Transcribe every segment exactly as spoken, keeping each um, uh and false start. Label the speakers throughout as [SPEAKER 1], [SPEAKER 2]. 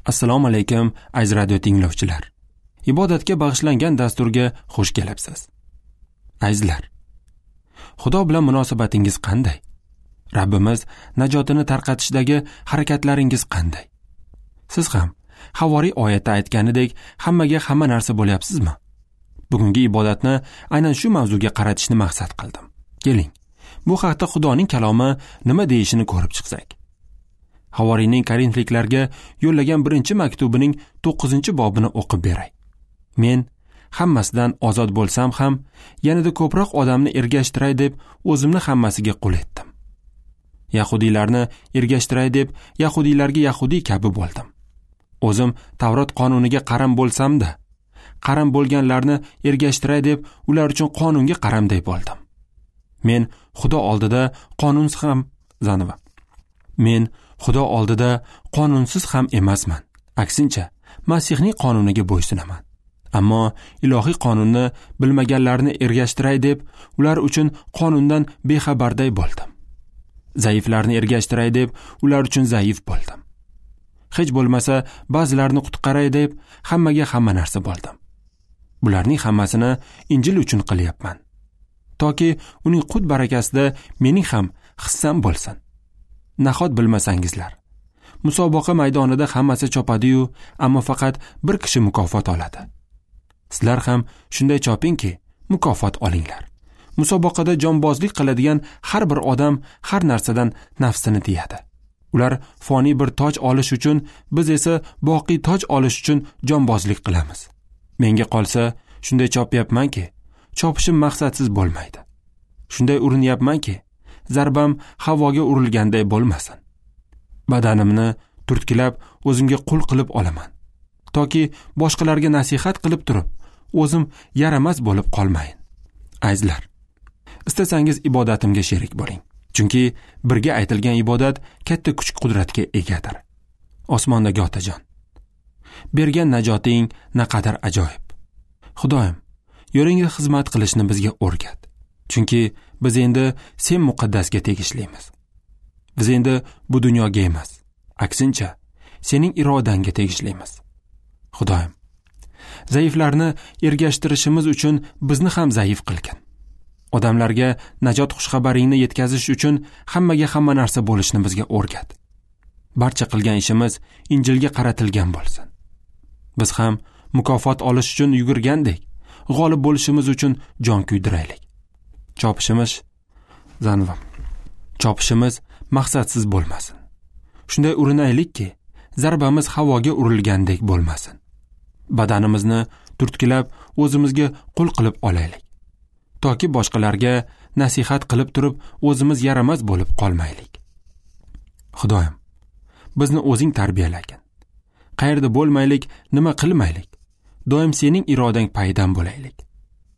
[SPEAKER 1] Assalomu alaykum aziz radio tinglovchilar. Ibodatga bag'ishlangan dasturga xush kelibsiz. Azizlar, Xudo bilan munosabatingiz qanday? Rabbimiz najotini tarqatishdagi harakatlaringiz qanday? Siz ham Havoriy oyatda aytganidek hammaga hamma narsa bo'lyapsizmi? Bugungi ibodatni aynan shu mavzuga qaratishni maqsad qildim. Keling, bu haqda Xudoning kalomi nima deyishini ko'rib chiqsak. Havoriyning Korinfliklarga yo'llagan birinchi maktubining to'qqizinchi bobini o'qib beray. Men hammasidan ozod bo'lsam ham, yanada ko'proq odamni ergashtiray deb o'zimni hammasiga qul etdim. Yahudiylarni ergashtiray deb yahudiylarga yahudiy kabi bo'ldim. O'zim Tavrot qonuniga qaram bo'lsam-da, qaram bo'lganlarni ergashtiray deb ular uchun qonunga qaramday bo'ldim. Men Xudo oldida qonunsiz ham zanva. Men Xudo oldida qonunsiz ham emasman. Aksincha, Masihning qonuniga bo'ysunaman. Ammo ilohiy qonunni bilmaganlarni ergashtiray deb ular uchun qonundan bexabarday bo'ldim. Zaiflarni ergashtiray deb ular uchun zaif bo'ldim. Hech bo'lmasa ba'zilarni qutqaray deb hammaga hamma narsa bo'ldim. Bularning hammasini Injil uchun qilyapman. Toki uning qut barakasida mening ham hissam bo'lsin. Nahot bilmasangizlar, musobaqa maydonida hammasi chopadi-yu, ammo faqat bir kishi mukofot oladi. Sizlar ham shunday chopingki, mukofot olinglar. Musobaqada jonbozlik qiladigan har bir odam har narsadan nafsini tiyadi. Ular foniy bir toj olish uchun, biz esa boqiy toj olish uchun jonbozlik qilamiz. Menga qolsa, shunday chopyapmanki, chopishim maqsadsiz bo'lmaydi. Shunday urinyapmanki, zarbam havoga urilganday bo'lmasin. Badanimni turtkilab o'zimga qul qilib olaman. Toki boshqalarga nasihat qilib turib, o'zim yaramas bo'lib qolmayin. Azizlar, istasangiz ibodatimga sherik bo'ling. Chunki birga aytilgan ibodat katta kuch-qudratga egadir. Osmondagi Otajon, bergan najoting naqadar ajoyib. Xudoyim, yo'lingga xizmat qilishni bizga o'rgat. Chunki biz endi sen muqaddasga tegishlimiz. Biz endi bu dunyoga emas, aksincha sening irodangga tegishlimiz. Xudoyim, zaiflarni ergashtirishimiz uchun bizni ham zaif qilgin. Odamlarga najot xushxabaringni yetkazish uchun hammaga hamma narsa bo'lishni bizga o'rgat. Barcha qilgan ishimiz Injilga qaratilgan bo'lsin. Biz ham mukofot olish uchun yugurgandek, g'olib bo'lishimiz uchun jon kuydiraylik. Chopishimiz zanva. Chopishimiz maqsadsiz bo'lmasin. Shunday urinaylikki, zarbamiz havoga urilgandek bo'lmasin. Badanimizni turtkilab o'zimizga qul qilib olaylik. Toki boshqalarga nasihat qilib turib o'zimiz yaramas bo'lib qolmaylik. Xudoyim, bizni o'zing tarbiyalagin. Qayerda bo'lmaylik, nima qilmaylik, doim sening irodang payidan bo'laylik.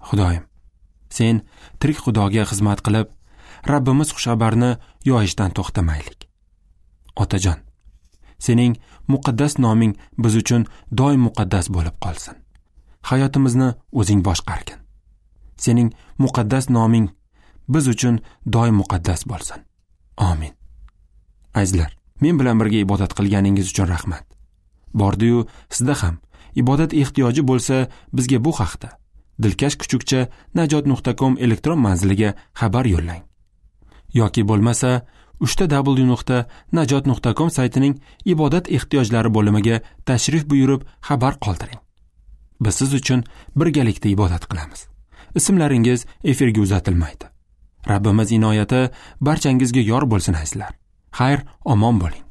[SPEAKER 1] Xudoyim, sen tirik Xudoga xizmat qilib, Rabbimiz xushxabarni yoyishdan to'xtamaylik. Otajon, sening muqaddas noming biz uchun doim muqaddas bo'lib qolsin. Hayotimizni o'zing boshqargin. Sening muqaddas noming biz uchun doim muqaddas bo'lsin. Amin. Azizlar, men bilan birga ibodat qilganingiz uchun rahmat. Bordi-yu sizda ham ibodat ehtiyoji bo'lsa, bizga bu haqda dilkash kuchukcha najot nuqta com elektron manziliga xabar yo'llang. Yoki bo'lmasa uchta w nuqta najot nuqta com saytining ibodat ehtiyojlari bo'limiga tashrif buyurib xabar qoldiring. Biz siz uchun birgalikda ibodat qilamiz. Ismlaringiz efirga uzatilmaydi. Rabbimiz inoyati barchangizga yor bo'lsin azizlar. Xayr, omon bo'ling.